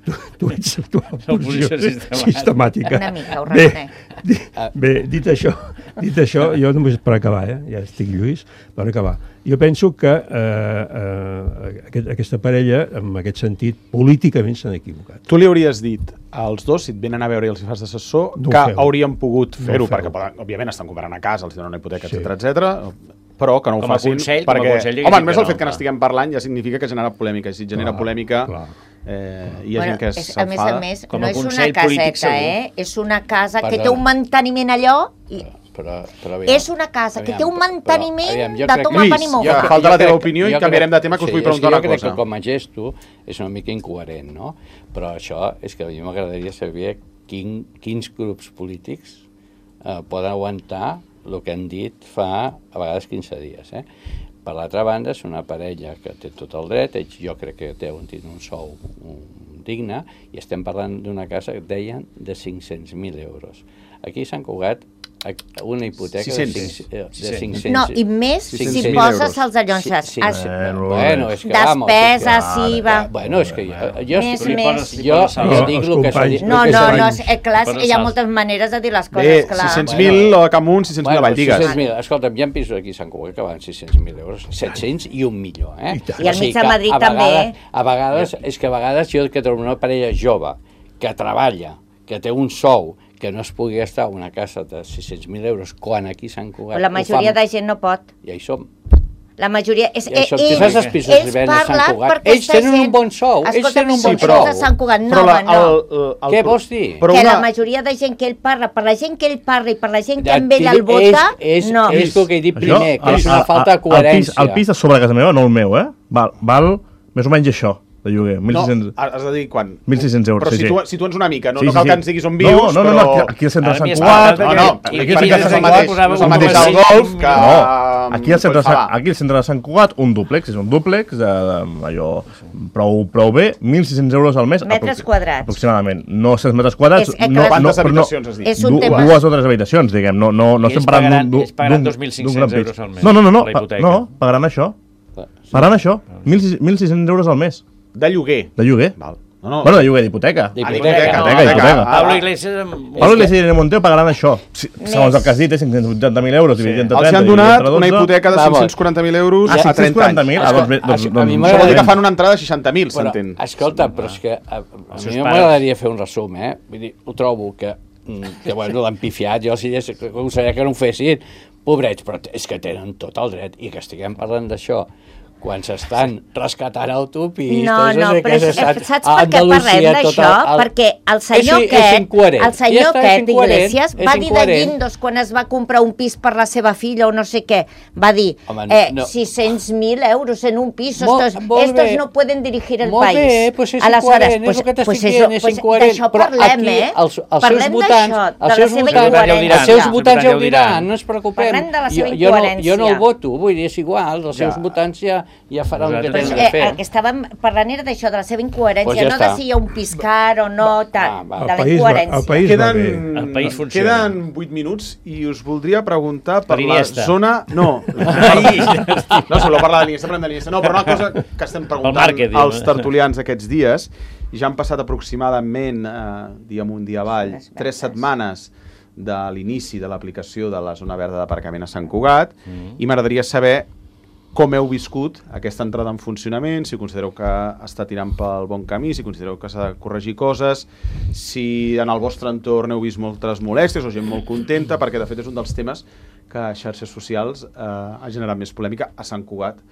Tu, tu ets de l'oposició sistemàtica. Una mica, ho reconec. Bé, bé, dit això, dit això, jo només per acabar, eh? Ja estic lluís, per acabar. Jo penso que eh, eh, aquest, aquesta parella, en aquest sentit, políticament s'han equivocat. Tu li hauries dit als dos, si et venen a veure i els fas d'assessor, no que feu. Haurien pogut fer-ho, no perquè poden, òbviament estan comprant a casa, els donen una hipoteca, sí. etcètera, etcètera, però que no ho facin, consell, perquè, consell, home, només no, el fet que clar. n'estiguem parlant ja significa que genera polèmica, i si genera clar, polèmica, clar. Eh, hi ha bueno, gent que és, a més a més, com no a és una consell caseta, eh? És una casa Perdona. que té un manteniment allò i... Però, però aviam, és una casa que aviam, té un manteniment però, aviam, de toma pan i moja. ja falta la teva opinió i canviarem de tema, que us vull preguntar una cosa. Jo crec que com a gesto és una mica incoherent, no? Però això és que a mi m'agradaria saber quin, quins grups polítics eh, poden aguantar el que han dit fa a vegades quinze dies, eh? Per l'altra banda, és una parella que té tot el dret, ells jo crec que deuen tenir un sou digne, i estem parlant d'una casa que deien de cinc-cents mil euros. Aquí a Sant Cugat una hipoteca de cinc-cents. No, i més si poses els allonses. Sí, sí. Bueno, és que vamos. Despesa, sí, va. Bueno, és que jo... jo més, més. Jo dic el que s'ha dit. No, no, no, és clar, hi ha moltes maneres de dir les coses, clar. Bé, sis-cents mil a Camunt, sis-cents mil a Valldigues. Escolta'm, hi ha pisos aquí a Sant Cugat que van sis-cents mil euros, set-cents i un milió, eh? I al mig de Madrid també. A vegades, és que a vegades jo que trobo una parella jove que treballa, que té un sou, que no es pugui gastar una casa de sis-cents mil euros quan aquí a Sant Cugat... La majoria de gent no pot. Ja hi som. La majoria... És, ja som. Ells, tu saps els pisos que ven a Sant Cugat? Ells tenen un bon sou. Ells tenen un bon sou. De Sant Cugat, no, home, no. El, el, el, Què vols dir? Que la majoria de gent que ell parla, per la gent que ell parla i per la gent que amb ell el vota, és, no. És el que he dit primer, que és una falta de coherència. El pis de sobre casa meva, no el meu, eh? Val, val més o menys això. De lloguer, mil sis-cents... No, has de dir quan? mil sis-cents euros, però sí, si tu, sí. si tu ets una mica, no, sí, no cal sí, que ens diguis on vius, no, no, no, però... No, aquí al centre de Sant Cugat... No, no, aquí és el mateix, no és el mateix al golf que... Aquí al centre, aquí al centre de Sant Cugat, un dúplex, és un dúplex, de, allò prou, prou bé, mil sis-cents euros al mes. Metres quadrats. Aproximadament. No cent metres quadrats. És, no, quantes no, habitacions has dit? És un tema... Dues o tres habitacions, diguem. No, no, no estem parlant d'un... Ells pagaran dos mil cinc-cents euros al mes. No, no, no, no, no pagaran això. Pagaran això, mil sis-cents euros al mes. De lloguer. De lloguer. Val. No, no. Bueno, de lloguer d'hipoteca. D'hipoteca. Pablo Iglesias... Pablo Iglesias i Irene Montero pagaran això. Segons el que has dit, és cinc-cents vuitanta mil euros dividit entre trenta. Els han donat una hipoteca de cinc-cents quaranta mil euros a trenta anys. Això vol dir que fan una entrada de seixanta mil, s'entén. Escolta, però és que a mi m'agradaria fer un resum, eh? Vull dir, ho trobo que, que bueno, l'han pifiat, jo si ho sabia que no ho fessin, pobrets, però és que tenen tot el dret, i que estiguem parlant d'això quan s'estan rescatant autopistes... No, no, però saps per què parlem d'això? Perquè el senyor aquest, el senyor aquest d'Iglesias va dir de Guindos quan es va comprar un pis per la seva filla o no sé què, va dir sis-cents mil euros en un pis, estos no pueden dirigir el país. Molt bé, doncs és incoherent, és el que t'estic dient, és incoherent. D'això parlem, eh? Parlem d'això, de la seva incoherència. Els seus votants ja ho diran, no ens preocupem. Parlem de la seva incoherència. Jo no el voto, vull dir, és igual, els seus votants ja ja faran el que tenen de fer. El que estàvem parlant era d'això, de la seva incoherència, no de si hi ha un pis car o no, tal, de la incoherència. El país va bé. El país funciona. Queden vuit minuts i us voldria preguntar per la zona... No, no solo parlar de l'Iniesta, parlem de l'Iniesta. No, però una cosa que estem preguntant als tertulians aquests dies, i ja han passat aproximadament, dia amunt, dia avall, tres setmanes de l'inici de l'aplicació de la zona verda d'aparcament a Sant Cugat, i m'agradaria saber com heu viscut aquesta entrada en funcionament, si considereu que està tirant pel bon camí, si considereu que s'ha de corregir coses, si en el vostre entorn heu vist moltes molèsties o gent molt contenta, perquè de fet és un dels temes que a xarxes socials eh, ha generat més polèmica a Sant Cugat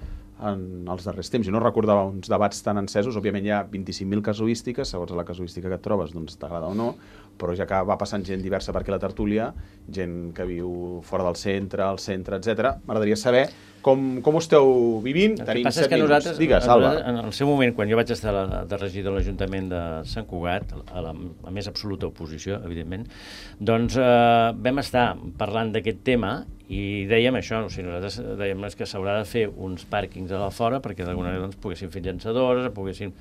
en els darrers temps. Jo no recordava uns debats tan encesos, òbviament hi ha vint-i-cinc mil casuístiques, segons la casuística que et trobes, doncs t'agrada o no, però ja que va passant gent diversa per aquí a la tertúlia, gent que viu fora del centre, al centre, etcètera. M'agradaria saber com, com ho esteu vivint. El que passa és que nosaltres, Digues, en el seu moment, quan jo vaig estar la, de regidor de l'Ajuntament de Sant Cugat, a la, a més absoluta oposició, evidentment, doncs eh, vam estar parlant d'aquest tema i dèiem això, o sigui, nosaltres dèiem que s'haurà de fer uns pàrquings a la fora perquè d'alguna manera doncs, poguessin fer llançadores, poguessin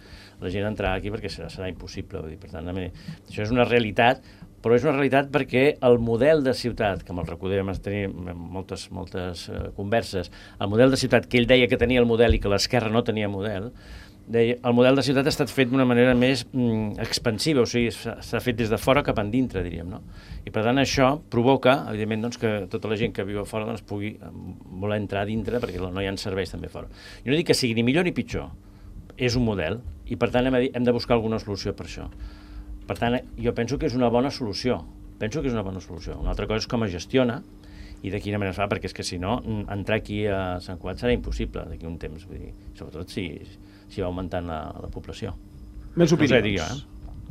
la gent entrar aquí perquè serà, serà impossible. Vull dir, per tant, a mi, això és una realitat, però és una realitat perquè el model de ciutat, que amb el Recoder vam tenir moltes, moltes uh, converses, el model de ciutat que ell deia que tenia el model i que l'esquerra no tenia model, deia, el model de ciutat ha estat fet d'una manera més mm, expansiva, o sigui, s'ha fet des de fora cap endintre, diríem, no? I per tant això provoca, evidentment, doncs, que tota la gent que viu a fora doncs, pugui voler entrar dintre perquè no hi ha serveis també fora. Jo no dic que sigui ni millor ni pitjor, és un model i per tant hem de, hem de buscar alguna solució per això. Per tant, jo penso que és una bona solució, penso que és una bona solució. Una altra cosa és com es gestiona i de quina manera es fa, perquè és que si no, entrar aquí a Sant Cugat serà impossible d'aquí un temps, vull dir, sobretot si, si va augmentant la, la població. Més opinions. No sé, digui, eh?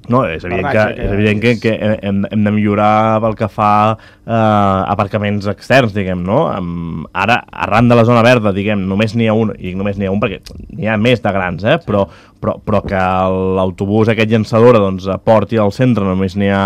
No, és evident que, és evident que, que hem, hem de millorar pel que fa eh, aparcaments externs, diguem, no? Um, ara, arran de la zona verda, diguem, només n'hi ha un, i només n'hi ha un perquè n'hi ha més de grans, eh? Però, però, però que l'autobús aquest llançadora doncs, porti al centre només n'hi ha,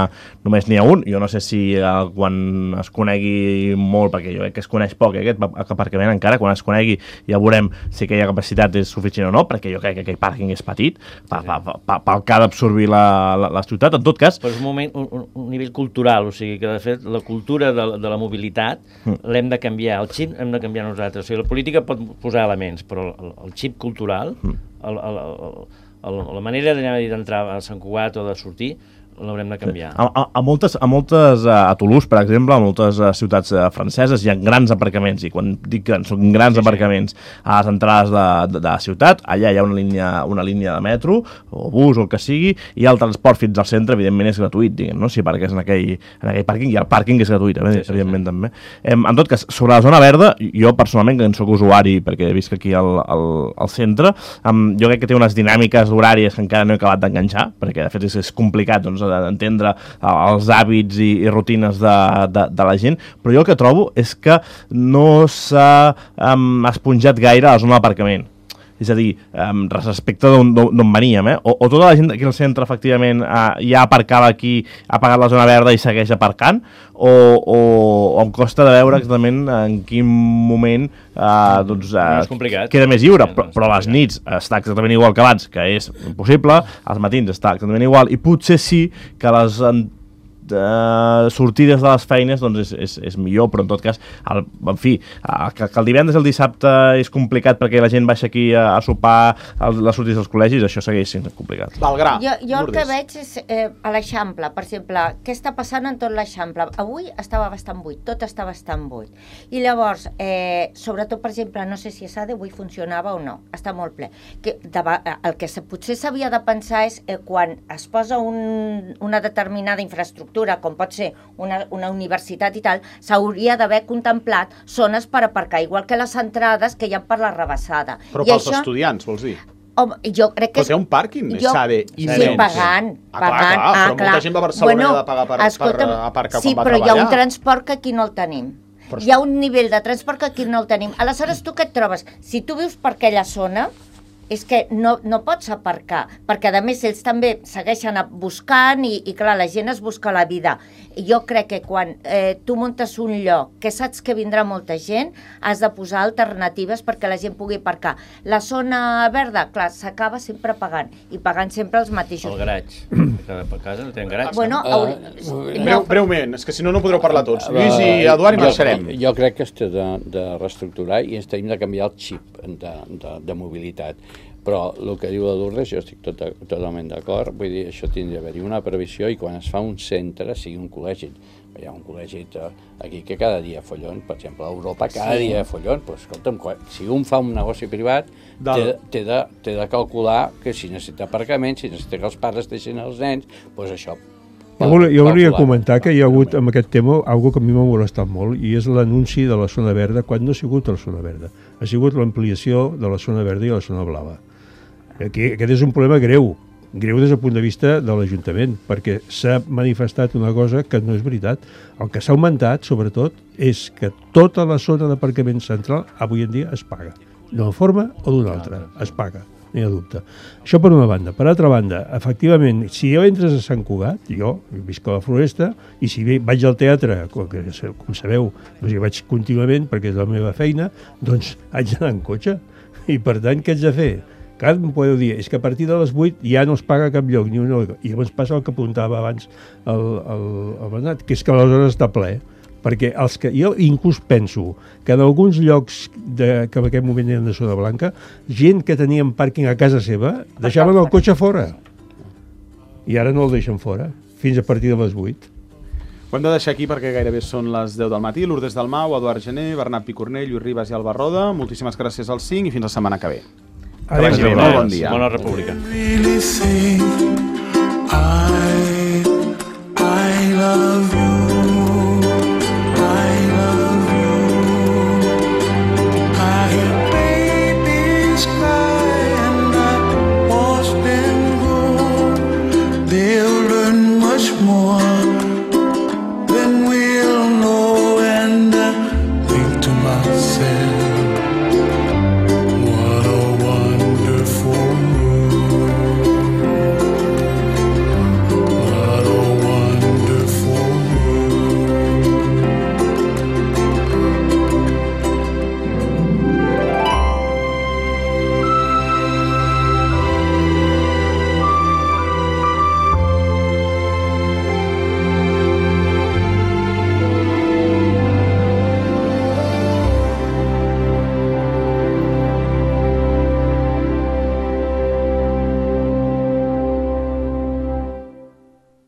només n'hi ha un. Jo no sé si eh, quan es conegui molt, perquè jo crec que es coneix poc, eh, aquest aparcament encara, quan es conegui ja veurem si aquella capacitat és suficient o no, perquè jo crec que aquell pàrquing és petit, pel pa, pa, pa, pa, que ha d'absorbir la La, la ciutat, en tot cas... Però és un, moment, un, un nivell cultural, o sigui que de fet la cultura de, de la mobilitat mm. l'hem de canviar, el xip hem de canviar nosaltres, o sigui la política pot posar elements, però el, el xip cultural, mm. el, el, el, el, la manera d'entrar a Sant Cugat o de sortir, l'haurem de canviar. A, a, a moltes, a, moltes, a Toulouse, per exemple, a moltes ciutats franceses hi ha grans aparcaments, i quan dic grans, són grans sí, aparcaments sí. a les entrades de, de, de la ciutat, allà hi ha una línia, una línia de metro, o bus, o el que sigui, i el transport fins al centre, evidentment, és gratuït, diguem, no? Si aparques en aquell, en aquell pàrquing, i el pàrquing és gratuït, sí, evidentment, sí, sí. també. Em, en tot cas, sobre la zona verda, jo personalment, que en soc usuari, perquè he vist que aquí al, al, al centre, em, jo crec que té unes dinàmiques horàries que encara no he acabat d'enganxar, perquè de fet és, és complicat, doncs, d'entendre els hàbits i, i rutines de, de, de la gent, però jo el que trobo és que no s'ha um, esponjat gaire a la zona d'aparcament. És a dir, um, respecte d'on veníem, eh? O, o tota la gent aquí al centre, efectivament, uh, ja aparcava aquí, ha pagat la zona verda i segueix aparcant, o, o, o em costa de veure exactament en quin moment uh, doncs, uh, no queda més lliure, però, però a les nits està exactament igual que abans, que és impossible, als matins està exactament igual, i potser sí que les Uh, sortides de les feines doncs és, és, és millor, però en tot cas el, en fi, uh, que, que el divendres i el dissabte és complicat perquè la gent baixa aquí a, a sopar el, les sortides dels col·legis, això segueix sent complicat. Valgrà, jo, jo el que veig és eh, a l'Eixample, per exemple, què està passant en tot l'Eixample? Avui estava bastant buit, tot està bastant buit, i llavors eh, sobretot, per exemple, no sé si a Sade avui funcionava o no, està molt ple, que, de, el que se, potser s'havia de pensar és eh, quan es posa un, una determinada infraestructura, com pot ser una, una universitat i tal, s'hauria d'haver contemplat zones per aparcar, igual que les entrades que hi ha per la rebassada. Però I pels això, estudiants, vols dir? home, jo crec que... Però té un pàrquing, jo, Sade, immens. Sí, pagant, Ah, pagant. clar, clar, ah, però clar. molta gent va a Barcelona bueno, i ha de pagar per, escolta, per aparcar sí, quan va treballar. Sí, però hi ha un treballar. transport que aquí no el tenim. Però... Hi ha un nivell de transport que aquí no el tenim. Aleshores, tu què et trobes? Si tu vius per aquella zona, és que no, no pots aparcar, perquè a més ells també segueixen buscant i, i clar, la gent es busca la vida. I jo crec que quan eh, tu muntes un lloc que saps que vindrà molta gent, has de posar alternatives perquè la gent pugui aparcar. La zona verda, clar, s'acaba sempre pagant, i pagant sempre els mateixos. El garatge, per casa no tenen garatge. Bueno, no? uh, Breu, breument, és que si no, no podreu parlar tots. Lluís i Eduard i marxarem. Jo, jo crec que es té de, de reestructurar i ens tenim de canviar el xip de, de, de mobilitat. Però el que diu la Lourdes, jo estic tot, totalment d'acord, vull dir, això tindria d'haver-hi una previsió i quan es fa un centre, sigui un col·legi, hi ha un col·legi aquí que cada dia follon, per exemple, a Europa cada sí. dia follon, però escolta'm, si un fa un negoci privat, té, té, de, té de calcular que si necessita aparcament, si necessita que els pares deixin els nens, doncs això... Jo volia, jo volia comentar que hi ha hagut amb aquest tema algo que a mi m'ha molestat molt i és l'anunci de la zona verda quan no ha sigut la zona verda, ha sigut l'ampliació de la zona verda i la zona blava. Aquí, aquest és un problema greu, greu des del punt de vista de l'Ajuntament, perquè s'ha manifestat una cosa que no és veritat. El que s'ha augmentat, sobretot, és que tota la zona d'aparcament central avui en dia es paga. D'una forma o d'una altra, es paga, no hi ha dubte. Això per una banda. Per altra banda, efectivament, si jo entres a Sant Cugat, jo visc a la Floresta, i si vaig al teatre, com, que, com sabeu, doncs hi vaig contínuament, perquè és la meva feina, doncs haig d'anar en cotxe. I per tant, què haig de fer? Clar, em podeu dir, és que a partir de les vuit ja no es paga cap lloc, ni una... I llavors passa el que apuntava abans el, el, el Bernat, que és que aleshores està ple, perquè els que, jo inclús penso que en alguns llocs de, que en aquest moment eren de zona blanca, gent que tenien pàrquing a casa seva, deixaven el cotxe fora. I ara no el deixen fora, fins a partir de les vuit. Ho hem de deixar aquí perquè gairebé són les deu del matí. Lourdes Dalmau, Eduard Gené, Bernat Picornell, Lluís Ribas i Alba Roda. Moltíssimes gràcies als cinc i fins la setmana que ve. Adéu, adéu, molt bon dia. Bona República. I, I love